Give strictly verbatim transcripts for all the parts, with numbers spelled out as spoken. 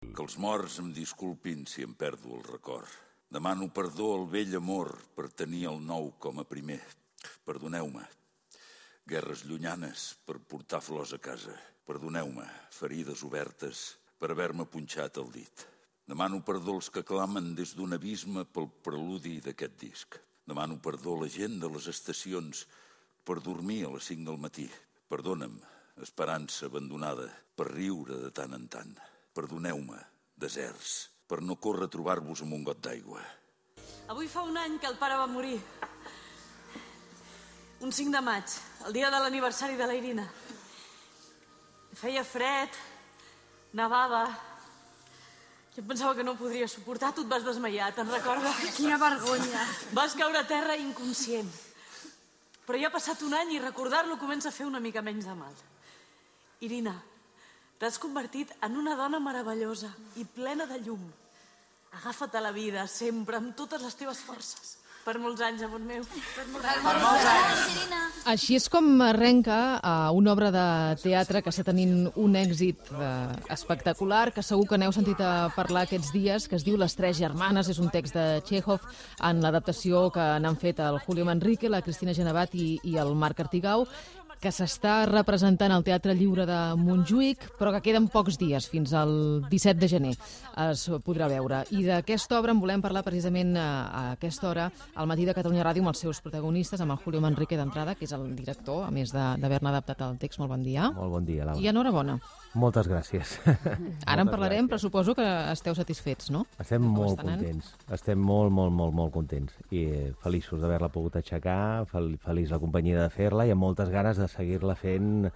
Que els morts em disculpin si em perdo el record. Demano perdó al vell amor per tenir el nou com a primer. Perdoneu-me. Guerres llunyanes per portar flors a casa. Perdoneu-me. Ferides obertes per haver-me punxat el dit. Demano perdó als que clamen des d'un abisme pel preludi d'aquest disc. Demano perdó a la gent de les estacions per dormir a les cinc del matí. Perdona'm, esperança abandonada, per riure de tant en tant. Perdoneu-me, deserts, per no córrer a trobar-vos amb un got d'aigua. Avui fa un any que el pare va morir. Un cinc de maig, el dia de l'aniversari de la Irina. Feia fred, nevava. Jo pensava que no podria suportar, tu et vas desmaiar, te'n recordes? Quina vergonya. Vas caure a terra inconscient. Però ja ha passat un any i recordar-lo comença a fer una mica menys de mal. Irina, t'has convertit en una dona meravellosa i plena de llum. Agafa't a la vida, sempre, amb totes les teves forces. Per molts anys, amor meu. Per molts anys. Per molts anys. Així és com arrenca uh, una obra de teatre que està tenint un èxit uh, espectacular, que segur que n'heu sentit a parlar aquests dies, que es diu Les tres germanes. És un text de Txékhov en l'adaptació que n'han fet el Julio Manrique, la Cristina Genevat i, i el Marc Artigau, que s'està representant al Teatre Lliure de Montjuïc, però que queden pocs dies, fins al disset de gener es podrà veure. I d'aquesta obra en volem parlar precisament a, a aquesta hora, al Matí de Catalunya Ràdio, amb els seus protagonistes, amb el Julio Manrique d'entrada, que és el director, a més d'haver-ne adaptat el text. Molt bon dia. Molt bon dia, Laura. I enhorabona. Moltes gràcies. Ara en parlarem, però suposo que esteu satisfets, no? Estem molt contents. Estem molt, molt, molt, molt contents. I feliços d'haver-la pogut aixecar, fel feliç la companyia de fer-la i amb moltes ganes de seguir-la fent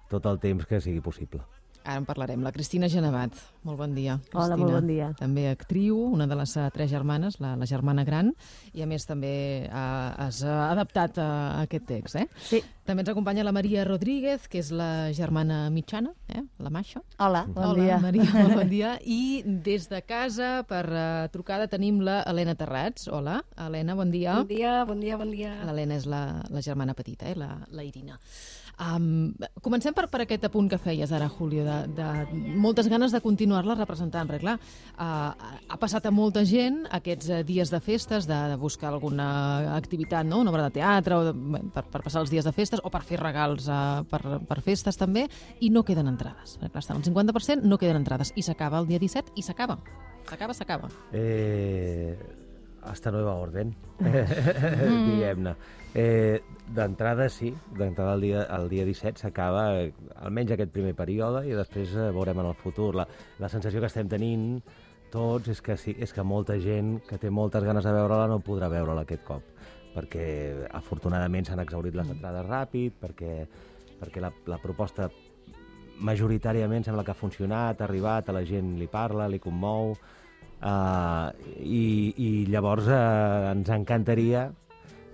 tot el temps que sigui possible. Ara en parlarem. La Cristina Genevat. Molt bon dia, Cristina. Hola, molt bon dia. També actriu, una de les uh, tres germanes, la, la germana gran, i a més també uh, has uh, adaptat uh, aquest text, eh? Sí. També ens acompanya la Maria Rodríguez, que és la germana mitjana, eh? La Masha. Hola, bon Hola, dia. Maria, molt bon dia. I des de casa, per uh, trucada, tenim la Helena Terrats. Hola, Helena, bon dia. Bon dia, bon dia, bon dia. L'Helena és la, la germana petita, eh? la, la Irina. Um, comencem per, per aquest apunt que feies ara, Julio, de, de moltes ganes de continuar-la representant, perquè clar, uh, ha passat a molta gent aquests uh, dies de festes, de, de buscar alguna activitat, no? Una obra de teatre, o de, per, per passar els dies de festes, o per fer regals uh, per, per festes també, i no queden entrades. Clar, estan al cinquanta per cent, no queden entrades, i s'acaba el dia disset, i s'acaba. S'acaba, s'acaba. Eh, hasta nueva orden, mm. diguem-ne. Eh, D'entrada sí, d'entrada el dia, el dia disset s'acaba almenys aquest primer període i després eh, veurem en el futur. La, la sensació que estem tenint tots és que, sí, és que molta gent que té moltes ganes de veure-la no podrà veure-la aquest cop, perquè afortunadament s'han exhaurit les entrades ràpid, perquè, perquè la, la proposta majoritàriament sembla que ha funcionat, ha arribat, a la gent li parla, li commou, uh, i, i llavors uh, ens encantaria,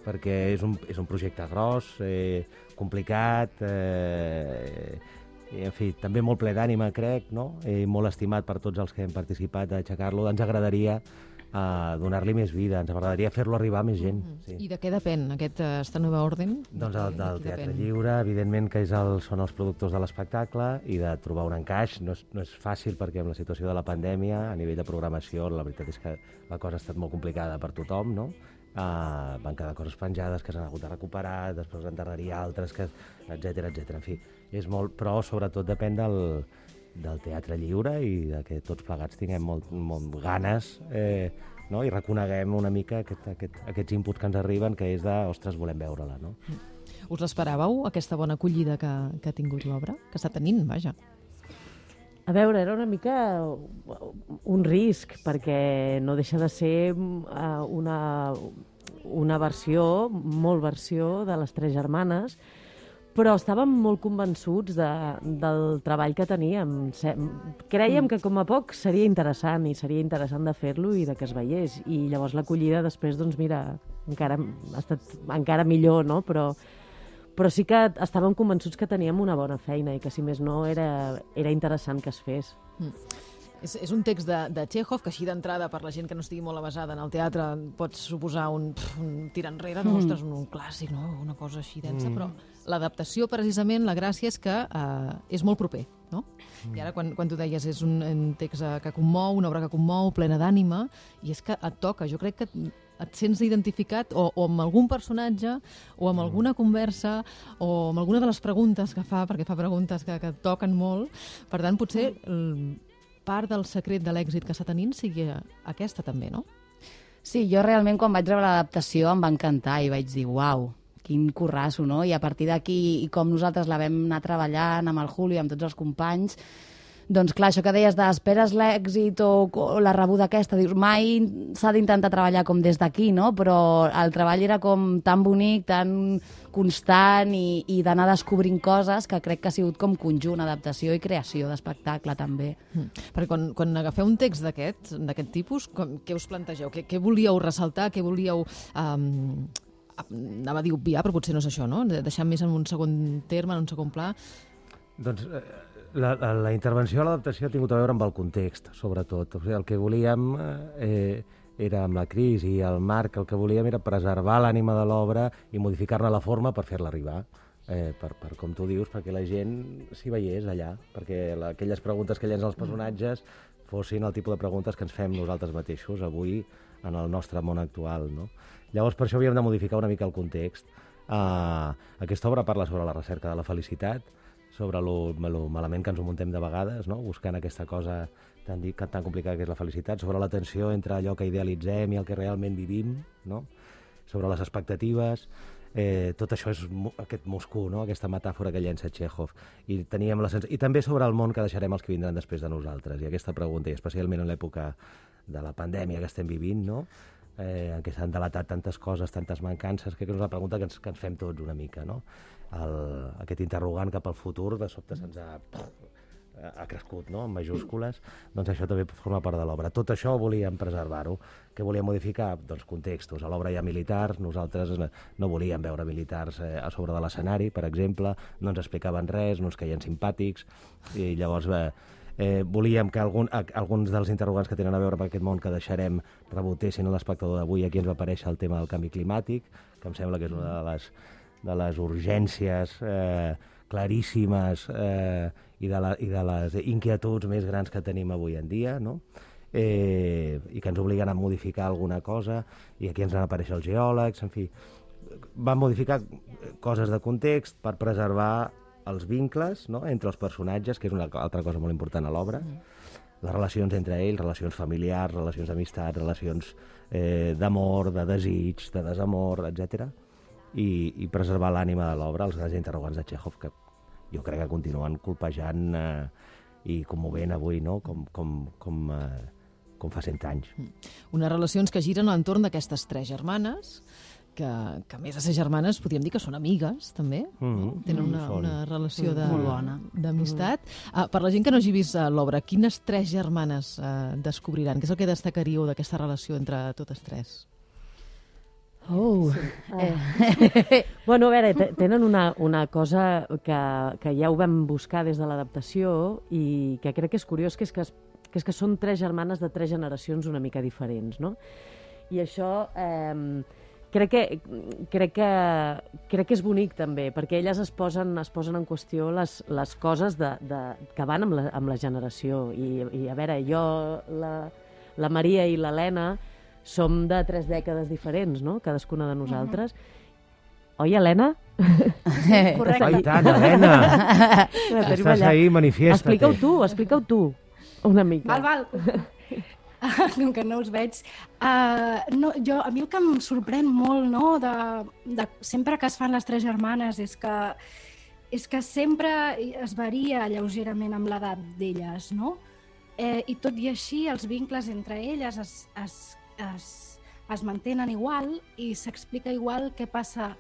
perquè és un, és un projecte gros, eh, complicat, eh, i, en fi, també molt ple d'ànima, crec, no? I molt estimat per tots els que hem participat a aixecar-lo. Ens agradaria eh, donar-li més vida, ens agradaria fer-lo arribar a més gent. Mm -hmm. Sí. I de què depèn aquest uh, esta nova orden? Doncs el, del de Teatre depèn? Lliure, evidentment que és el, són els productors de l'espectacle i de trobar un encaix. No és, no és fàcil perquè amb la situació de la pandèmia, a nivell de programació, la veritat és que la cosa ha estat molt complicada per tothom, no? Uh, van quedar coses penjades que s'han hagut de recuperar, després en tardaria altres, que, etcètera, etcètera. En fi, és molt, però sobretot depèn del, del Teatre Lliure i de que tots plegats tinguem molt, molt ganes, eh, no? I reconeguem una mica aquest, aquest, aquests inputs que ens arriben, que és de, ostres, volem veure-la, no? Us l'esperàveu, aquesta bona acollida que, que ha tingut l'obra? Que està tenint, vaja. A veure, era una mica un risc, perquè no deixa de ser uh, una, una versió, molt versió, de Les tres germanes, però estàvem molt convençuts de, del treball que teníem. Crèiem que com a poc seria interessant, i seria interessant de fer-lo i de que es veiés. I llavors l'acollida després, doncs mira, encara ha estat encara millor, no? Però Però sí que estàvem convençuts que teníem una bona feina i que, si més no, era, era interessant que es fes. Mm. És, és un text de, de Chekhov, que així d'entrada, per la gent que no estigui molt avasada en el teatre, pots suposar un, pf, un tir enrere, no? Mm. Ostres, un, un clàssic, no? Una cosa així densa, mm. però l'adaptació, precisament, la gràcia és que uh, és molt proper, no? Mm. I ara, quan, quan tu deies, és un, un text que commou, una obra que commou, plena d'ànima, i és que et toca, jo crec que et sents identificat o, o amb algun personatge, o amb alguna conversa, o amb alguna de les preguntes que fa, perquè fa preguntes que, que et toquen molt. Per tant, potser el, part del secret de l'èxit que està tenint sigui aquesta també, no? Sí, jo realment quan vaig rebre l'adaptació em va encantar i vaig dir, uau, quin currasso, no? I a partir d'aquí, i com nosaltres la vam anar treballant amb el Julio i amb tots els companys, doncs clar, això que deies d'esperes l'èxit o, o la rebuda aquesta, dius, mai s'ha d'intentar treballar com des d'aquí, no? Però el treball era com tan bonic, tan constant i, i d'anar descobrint coses que crec que ha sigut com conjunt, adaptació i creació d'espectacle també. Mm. Perquè quan, quan agafeu un text d'aquest d'aquest tipus, com, què us plantegeu? Què, què volíeu ressaltar? Què volíeu... Um, anava a dir obviar, però potser no és això, no? Deixar més en un segon terme, en un segon pla. Doncs... Eh... La, la, la intervenció a l'adaptació ha tingut a veure amb el context, sobretot. O sigui, el que volíem eh, era, amb la Cris i el Marc, el que volíem era preservar l'ànima de l'obra i modificar-ne la forma per fer-la arribar. Eh, per, per, com tu dius, perquè la gent s'hi veiés allà, perquè la, aquelles preguntes que llencen els personatges fossin el tipus de preguntes que ens fem nosaltres mateixos avui en el nostre món actual, no? Llavors, per això havíem de modificar una mica el context. Uh, aquesta obra parla sobre la recerca de la felicitat, sobre lo, lo malament que ens ho muntem de vegades, no? Buscant aquesta cosa tan, tan complicada que és la felicitat, sobre la tensió entre allò que idealitzem i el que realment vivim, no? Sobre les expectatives, eh, tot això és aquest Moscou, no? Aquesta metàfora que llença Chekhov. I, teníem la sens... I també sobre el món que deixarem els que vindran després de nosaltres. I aquesta pregunta, i especialment en l'època de la pandèmia que estem vivint, no? Eh, en què s'han delatat tantes coses, tantes mancances, que és una pregunta que ens, que ens fem tots una mica, no? El, aquest interrogant cap al futur de sobte se'ns ha, ha crescut, no? En majúscules, doncs això també forma part de l'obra. Tot això volíem preservar-ho. Què volíem modificar? Doncs contextos. A l'obra hi ha militars, nosaltres no volíem veure militars eh, a sobre de l'escenari, per exemple, no ens explicaven res, no ens caien simpàtics, i llavors eh, eh, volíem que algun, a, alguns dels interrogants que tenen a veure amb aquest món que deixarem rebotessin a l'espectador d'avui. Aquí ens va aparèixer el tema del canvi climàtic, que em sembla que és una de les de les urgències eh, claríssimes eh, i, de la, i de les inquietuds més grans que tenim avui en dia, no? Eh, i que ens obliguen a modificar alguna cosa, i aquí ens van aparèixer els geòlegs, en fi, van modificar coses de context per preservar els vincles, no?, entre els personatges, que és una altra cosa molt important a l'obra, mm. les relacions entre ells, relacions familiars, relacions d'amistat, relacions eh, d'amor, de desig, de desamor, etcètera, I, i preservar l'ànima de l'obra, els grans interrogants de Chekhov, que jo crec que continuen colpejant eh, i commovent avui, no?, com, com, com, eh, com fa cent anys. Unes relacions que giren a l'entorn d'aquestes tres germanes, que, que a més de ser germanes podríem dir que són amigues, també. Mm-hmm. Tenen una, una relació d'amistat. Mm-hmm. Uh, per la gent que no hagi vist uh, l'obra, quines tres germanes uh, descobriran? Què és el que destacaríeu d'aquesta relació entre totes tres? Oh, sí. eh. Bueno, a veure, tenen una, una cosa que, que ja ho vam buscar des de l'adaptació i que crec que és curiós, que és que, que és que són tres germanes de tres generacions una mica diferents, no? I això eh, crec, que, crec, que, crec que és bonic també, perquè elles es posen, es posen en qüestió les, les coses de, de, que van amb la, amb la generació. I, I a veure, jo, la, la Maria i l'Helena, som de tres dècades diferents, no?, cadascuna de nosaltres. Uh-huh. Oi, Helena? Correcte. Oi, tant, Helena! Estàs ahí, manifiesta-te. Explica-ho tu, explica-ho tu, una mica. Val, val. Com que no us veig. Uh, no, jo, a mi el que em sorprèn molt, no?, de, de, sempre que es fan les tres germanes, és que, és que sempre es varia lleugerament amb l'edat d'elles, no? Eh, I tot i així, els vincles entre elles es, es Es, es mantenen igual i s'explica igual què passa,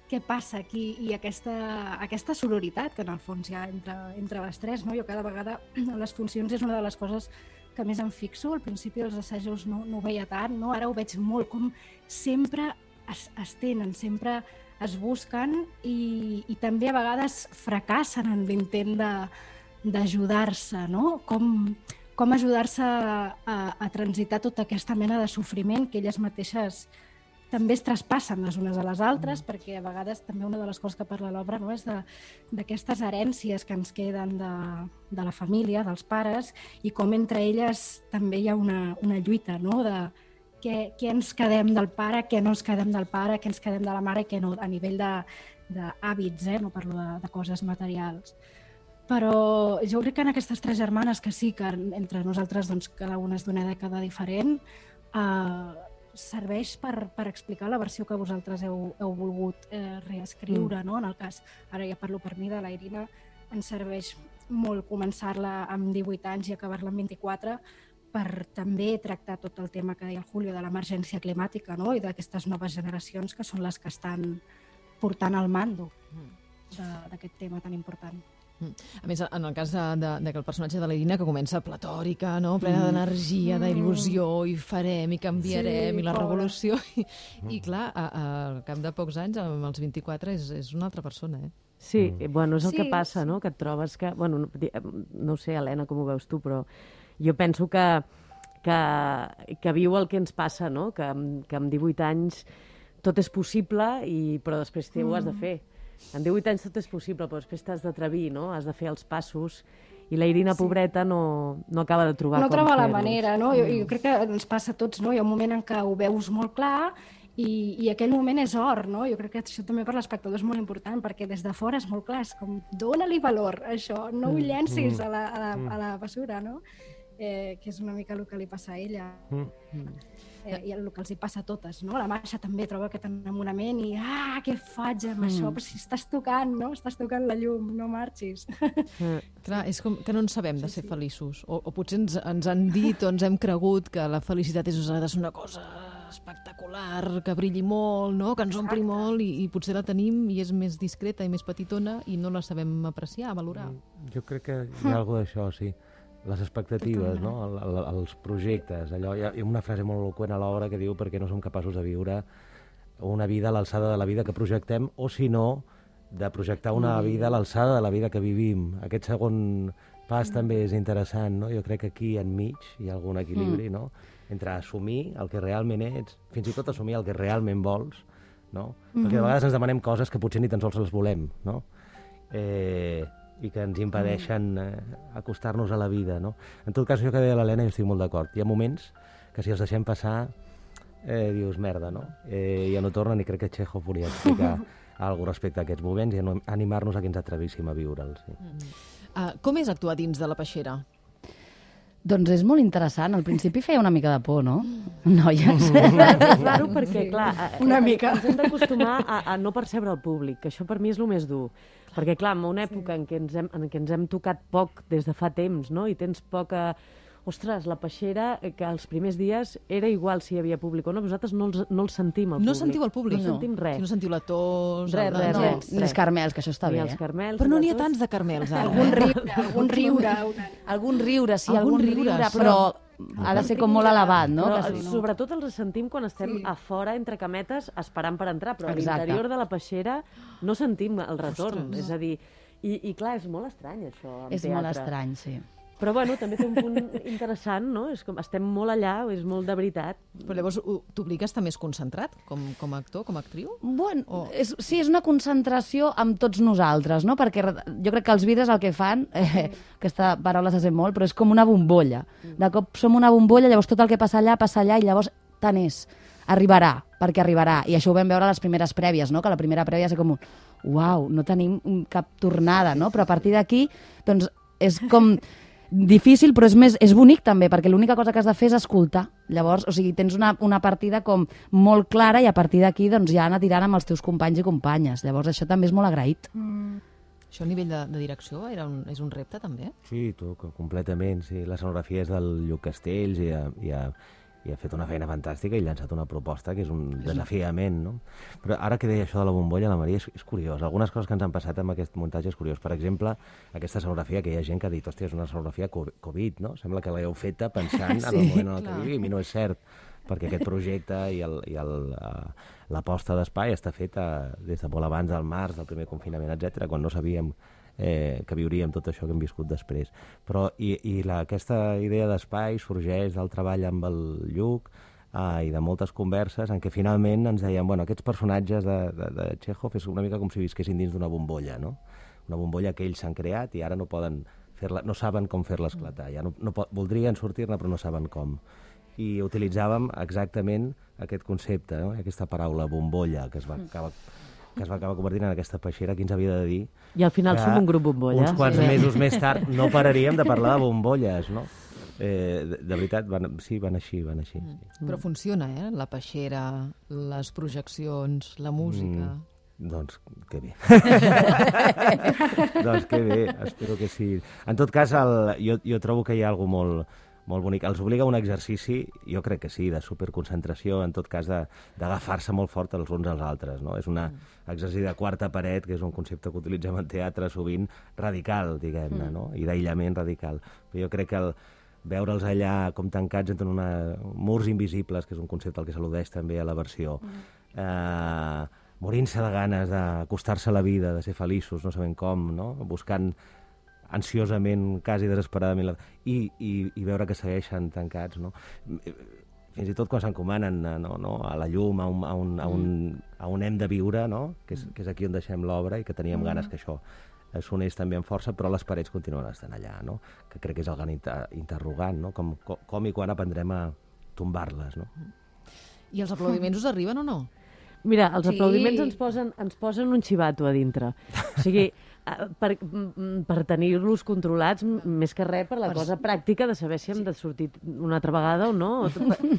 què passa aquí i aquesta, aquesta sororitat que en el fons hi ha entre, entre les tres, no? Jo cada vegada a les funcions és una de les coses que més em fixo. Al principi dels assajos no, no ho veia tant, no? Ara ho veig molt, com sempre es, es tenen, sempre es busquen i, i també a vegades fracassen en l'intent de, d'ajudar-se, no? Com, com ajudar-se a, a, a transitar tota aquesta mena de sofriment que elles mateixes també es traspassen les unes a les altres, mm. perquè a vegades també una de les coses que parla l'obra, no, és d'aquestes herències que ens queden de, de la família, dels pares, i com entre elles també hi ha una, una lluita, no?, de què, què ens quedem del pare, què no ens quedem del pare, què ens quedem de la mare i què no, a nivell d'hàbits, eh? No parlo de, de coses materials. Però jo crec que en aquestes tres germanes, que sí que entre nosaltres doncs, cada una és d'una dècada diferent, eh, serveix per, per explicar la versió que vosaltres heu, heu volgut eh, reescriure, mm. no? En el cas, ara ja parlo per mi, de la Irina, ens serveix molt començar-la amb divuit anys i acabar-la amb vint-i-quatre per també tractar tot el tema que deia el Julio de l'emergència climàtica, no? I d'aquestes noves generacions que són les que estan portant el mando d'aquest tema tan important. A més, en el cas de, de, de que el personatge de l'Irina, que comença platòrica, no? Plena mm. d'energia, d'il·lusió, i farem, i canviarem, sí, i la revolució, i, mm. i clar, a, a, al cap de pocs anys, amb els vint-i-quatre, és, és una altra persona, eh? Sí, mm. bueno, és el sí, que passa, no? Que et trobes que... Bueno, no, no sé, Helena, com ho veus tu, però jo penso que, que, que viu el que ens passa, no? Que, que amb divuit anys tot és possible, i, però després mm. ho has de fer. En divuit anys tot és possible, però després t'has d'atrevir, no? Has de fer els passos, i la Irina, sí. pobreta, no, no acaba de trobar no com troba fer-los. la manera, no? Jo, jo crec que ens passa a tots, no? Hi ha un moment en què ho veus molt clar i, i aquell moment és or, no? Jo crec que això també per l'espectador és molt important, perquè des de fora és molt clar, és com, dóna-li valor a això, no ho llencis a la, a la, a la bessura, no? Eh, que és una mica el que li passa a ella. Mm. Eh, i el que els hi passa a totes, no? La Masha també troba aquest enamorament i ah, què faig amb mm. això? Però si estàs tocant, no? Estàs tocant la llum, no marxis. Mm. Clar, és com que no en sabem de ser sí, sí. feliços. O, o potser ens, ens han dit o ens hem cregut que la felicitat és una cosa espectacular, que brilli molt, no? Que ens ompli Exacte. molt, i, i potser la tenim i és més discreta i més petitona i no la sabem apreciar, valorar. Mm. Jo crec que hi ha alguna d'això, sí. Les expectatives, no? El, el, els projectes. Allò, hi ha una frase molt eloqüent a l'obra que diu perquè no som capaços de viure una vida a l'alçada de la vida que projectem, o si no, de projectar una mm. vida a l'alçada de la vida que vivim. Aquest segon pas mm. també és interessant, no? Jo crec que aquí enmig hi ha algun equilibri, mm. no? Entre assumir el que realment ets, fins i tot assumir el que realment vols, no? Mm-hmm. Perquè de vegades ens demanem coses que potser ni tan sols les volem, no? Eh... i que ens impedeixen eh, acostar-nos a la vida, no? En tot cas, això que deia l'Helena, jo estic molt d'acord. Hi ha moments que si els deixem passar, eh, dius, merda, no? Eh, ja no tornen, i crec que Chekhov volia explicar alguna cosa respecte a aquests moments i animar-nos a que ens atrevíssim a viure'ls. Sí. Mm. Uh, com és actuar dins de la peixera? Doncs és molt interessant. Al principi feia una mica de por, no? Noies. És raro perquè, clar, una mica. ens hem d'acostumar a, a no percebre el públic, que això per mi és el més dur. Perquè, clar, en una època en què ens hem, en què ens hem tocat poc des de fa temps, no? I tens poca... Ostres, la peixera, que els primers dies era igual si hi havia públic o no, vosaltres no, els, no el sentim, el no públic. Sentiu el públic? No, no sentim res. Si no sentiu la tos... Res, el... res, no, res, ni els carmels, que això està ni bé, els eh? carmels, Però no n'hi ha tos. tants de carmels, ara. Algun riure, algun riure. Una... Algun riure, sí, algun, algun riure, riure, però... però ha de ser com molt elevat, no? Però, Que si no... sobretot els sentim quan estem Sí. a fora, entre cametes, esperant per entrar, però Exacte. a l'interior de la peixera no sentim el retorn. Ostres. És a dir, i, i clar, és molt estrany, això, en És teatre. molt estrany, sí. Però, bueno, també té un punt interessant, no? És com, estem molt allà, és molt de veritat. Però llavors t'obliga a estar més concentrat com, com a actor, com a actriu? Bueno, O- és, sí, és una concentració amb tots nosaltres, no? Perquè re- jo crec que els vidres el que fan, eh, aquesta paraula se sent molt, però és com una bombolla. De cop som una bombolla, llavors tot el que passa allà, passa allà, i llavors tant és. Arribarà, perquè arribarà. I això ho vam veure a les primeres prèvies, no? Que la primera prèvia és com un uau, no tenim cap tornada, no? Però a partir d'aquí, doncs, és com difícil, però és, més, és bonic també, perquè l'única cosa que has de fer és escoltar. Llavors, o sigui, tens una, una partida com molt clara i a partir d'aquí doncs, ja anar tirant amb els teus companys i companyes. Llavors, això també és molt agraït. Mm. Això a nivell de, de direcció era un, és un repte, també? Sí, tu, co- completament. Sí. L'escenografia és del Lluc Castells i ha, i, ha, i ha fet una feina fantàstica i ha llançat una proposta que és un desafiament, no? Però ara que deia això de la bombolla, la Maria, és, és curiós. Algunes coses que ens han passat amb aquest muntatge és curiós. Per exemple, aquesta escenografia, que hi ha gent que ha dit, hòstia, és una escenografia co- Covid, no? Sembla que l'heu feta pensant sí, en el moment en el clar. que vivim, i no és cert, perquè aquest projecte i, el, i el, uh, l'aposta d'espai està feta des de molt abans del març, del primer confinament, etcètera, quan no sabíem eh, que viuríem tot això que hem viscut després. Però i, i la, aquesta idea d'espai sorgeix del treball amb el Lluc eh, i de moltes converses en què finalment ens deien, bueno, aquests personatges de, de, de Chekhov és una mica com si visquessin dins d'una bombolla, no? Una bombolla que ells s'han creat i ara no poden fer-la, no saben com fer-la esclatar. Ja no, no pot, voldrien sortir-ne però no saben com. I utilitzàvem exactament aquest concepte, no? Aquesta paraula bombolla que es va acabar que es va acabar convertint en aquesta peixera que ens havia de dir... I al final som un grup bombolla. Uns quants sí. mesos més tard no pararíem de parlar de bombolles, no? Eh, de, de veritat, van, sí, van així, van així. Mm. Sí. Però funciona, eh? La peixera, les projeccions, la música... Mm. Doncs que bé. doncs que bé, espero que sí. En tot cas, el, jo, jo trobo que hi ha alguna molt, molt bonic. Els obliga a un exercici, jo crec que sí, de superconcentració, en tot cas d'agafar-se molt fort els uns als altres. No? És un exercici de quarta paret, que és un concepte que utilitzem en teatre sovint, radical, diguem-ne, no? I d'aïllament radical. Però jo crec que el veure'ls allà com tancats entre una, murs invisibles, que és un concepte al que s'al·ludeix també a la versió, eh, morint-se de ganes d'acostar-se a la vida, de ser feliços, no sabent com, no? Buscant ansiosament, quasi desesperadament, la... I, i, i veure que segueixen tancats, no? Fins i tot quan s'encomanen no, no, a la llum, a un, a, un, a, un, a un hem de viure, no? Que és, que és aquí on deixem l'obra i que teníem mm. ganes que això sonés també amb força, però les parets continuen estant allà, no? Que crec que és el gran inter interrogant, no? Com, com, com i quan aprendrem a tombar-les, no? I els aplaudiments us arriben o no? Mira, els Sí. aplaudiments ens posen, ens posen un xivato a dintre. O sigui, per, per tenir-los controlats, més que res per la Per- cosa pràctica de saber si hem de sortir una altra vegada o no.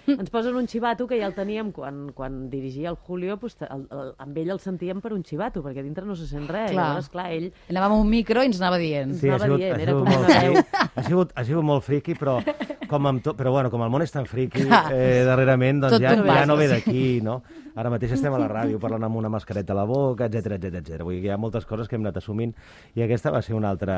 Ens posen un xivato que ja el teníem quan, quan dirigia el Julio, pues, el, el, amb ell el sentíem per un xivato, perquè a dintre no se sent res. Clar. Llavors, clar, ell... Anàvem a un micro i ens anava dient. Sí, anava dient, era com molt una veu. friqui. Ha sigut, ha sigut molt friqui, però com, amb to, però bueno, com el món és tan friqui eh, darrerament, doncs Tot ja, t'ho ja no ve bases. d'aquí, no? Ara mateix estem a la ràdio parlant amb una mascareta a la boca, etcètera, etcètera, etcètera. Vull dir que hi ha moltes coses que hem anat assumint i aquesta va ser una altra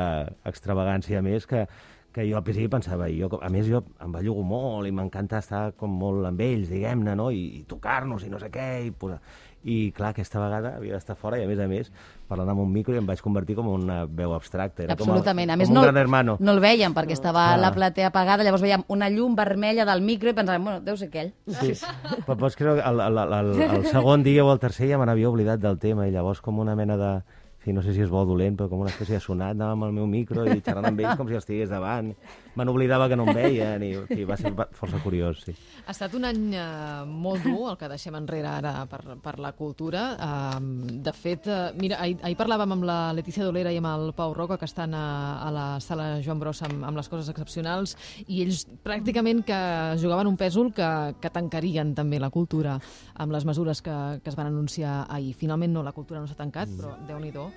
extravagància més que, que jo al principi pensava, i jo, a més jo em bellugo molt i m'encanta estar com molt amb ells, diguem-ne, no? I, i tocar-nos i no sé què, i posar... I clar, aquesta vegada havia d'estar fora i a més a més parlant amb un micro i em vaig convertir com una veu abstracta. Era Absolutament. Com, el, A més, com no, un gran hermano. no el veiem perquè estava Clar. la platea apagada, llavors veiem una llum vermella del micro i pensàvem, bueno, deu ser aquell. Sí. Però pots creure que el, el, el, el segon dia o el tercer ja me n'havia oblidat del tema i llavors com una mena de... Sí, no sé si és bo o dolent, però com una espècie de sonat, anava amb el meu micro i xerrant amb ells com si estigués davant. Me n'oblidava que no em veien i sí, va ser força curiós, sí. Ha estat un any eh, molt dur, el que deixem enrere ara per, per la cultura. Eh, de fet, eh, mira, ahir, ahir parlàvem amb la Letícia Dolera i amb el Pau Roca, que estan a, a la sala Joan Brossa amb, amb les coses excepcionals, i ells pràcticament que jugaven un pèsol que, que tancarien també la cultura amb les mesures que, que es van anunciar ahir. Finalment no, la cultura no s'ha tancat, però Déu-n'hi-do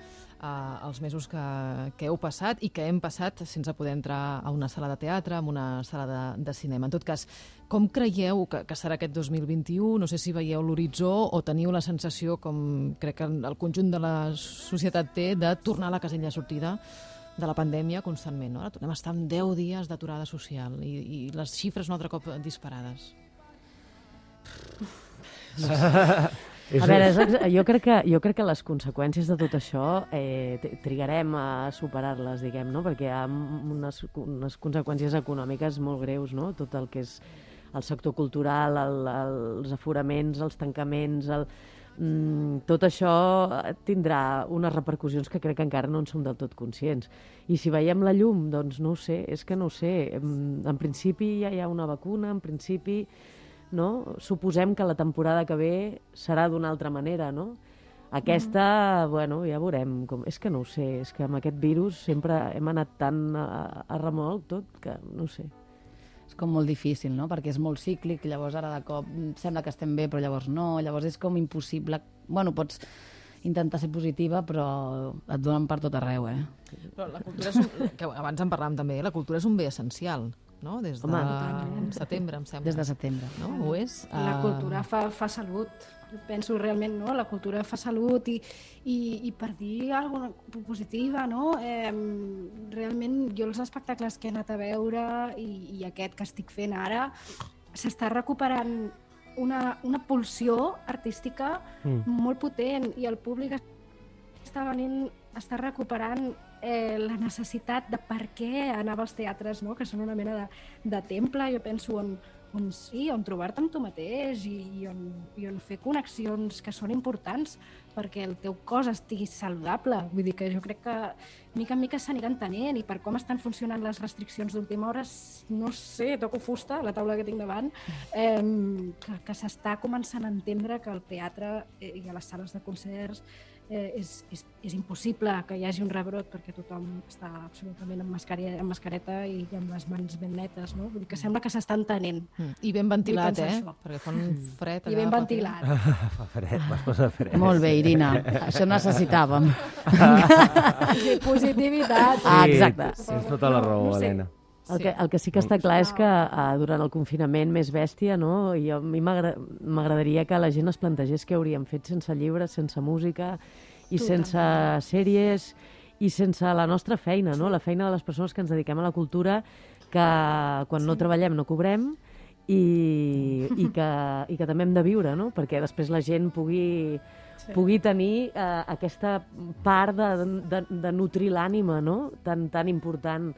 Uh, els mesos que, que heu passat i que hem passat sense poder entrar a una sala de teatre, a una sala de, de cinema. En tot cas, com creieu que, que serà aquest dos mil vint-i-u? No sé si veieu l'horitzó o teniu la sensació, com crec que el conjunt de la societat té, de tornar a la casella de sortida de la pandèmia constantment. No? Ara tornem a estar en deu dies d'aturada social i, i les xifres un altre cop disparades. A veure, és, ex- jo, crec que, jo crec que les conseqüències de tot això eh, t- trigarem a superar-les, diguem, no? Perquè hi ha unes, unes conseqüències econòmiques molt greus, no? Tot el que és el sector cultural, el, els aforaments, els tancaments, el, mm, tot això tindrà unes repercussions que crec que encara no en som del tot conscients. I si veiem la llum, doncs no ho sé, és que no ho sé. En, en principi ja hi ha una vacuna, en principi... No? Suposem que la temporada que ve serà d'una altra manera, no? Aquesta, mm. bueno, ja veurem. Com... És que no ho sé, és que amb aquest virus sempre hem anat tan a, a remolc tot que no ho sé. És com molt difícil, no? Perquè és molt cíclic, llavors ara de cop sembla que estem bé, però llavors no, llavors és com impossible. Bueno, pots intentar ser positiva, però et donen per tot arreu, eh? Però la cultura és un, que abans en parlàvem també, la cultura és un bé essencial, no? Des de Home. setembre, em sembla. Des de setembre. No? Ho és? La Ah, cultura fa, fa salut. Jo penso realment, no? La cultura fa salut i, i, i per dir alguna cosa positiva, no? Eh, realment, jo els espectacles que he anat a veure i, i aquest que estic fent ara, s'està recuperant una, una pulsió artística Mm. molt potent i el públic està venint, està recuperant eh, la necessitat de per què anava als teatres, no? Que són una mena de, de temple, jo penso, on, on sí, on trobar-te amb tu mateix i, i, on, i on fer connexions que són importants perquè el teu cos estigui saludable. Vull dir que jo crec que mica en mica s'anirà entenent i per com estan funcionant les restriccions d'última hora, no sé, toco fusta, la taula que tinc davant, eh, que, que s'està començant a entendre que el teatre eh, i a les sales de concerts eh, és, és, és impossible que hi hagi un rebrot perquè tothom està absolutament amb, mascareta, amb mascareta i amb les mans ben netes, no? Vull dir que sembla que s'està entenent. I ben ventilat, eh? Això. Perquè fa un fred. I ben ventilat. Fa fred, m'has posat fred. Molt bé, Irina, això necessitàvem. Sí, positivitat. Ah, exacte. Tens tota la raó, No, no sé. Helena. El que, el que sí que està clar és que uh, durant el confinament més bèstia, no? I a mi m'agra- m'agradaria que la gent es plantegés què hauríem fet sense llibres, sense música i sense sèries i sense la nostra feina, no? La feina de les persones que ens dediquem a la cultura, que quan no treballem no cobrem i, i, que, i que també hem de viure, no? Perquè després la gent pugui, pugui tenir uh, aquesta part de, de, de nutrir l'ànima, no? Tan, tan important.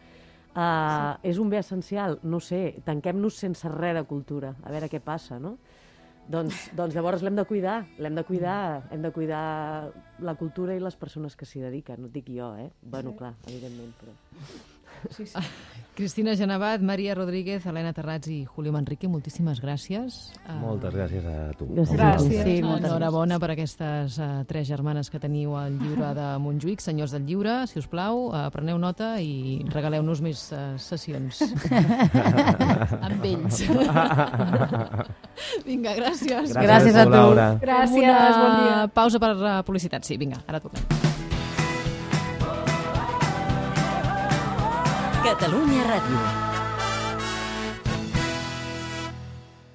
Uh, sí. És un bé essencial, no sé, tanquem-nos sense res de cultura, a veure què passa, no? Doncs, doncs llavors l'hem de cuidar, l'hem de cuidar, hem de cuidar la cultura i les persones que s'hi dediquen, no et dic jo, eh? Bueno, clar, evidentment, però... Sí, sí. Cristina Genevat, Maria Rodríguez, Helena Terrats i Julio Manrique, moltíssimes gràcies. Moltes gràcies a tu. Gràcies. Gràcies. Sí, moltes Enhorabona per aquestes uh, tres germanes que teniu al llibre de Montjuïc. Senyors del llibre, si us plau, uh, preneu nota i regaleu-nos més uh, sessions amb ells. Vinga, gràcies. Gràcies a tu. Laura. Gràcies, Una bon dia. pausa per uh, publicitat. Sí, vinga, ara tornem. Catalunya Ràdio.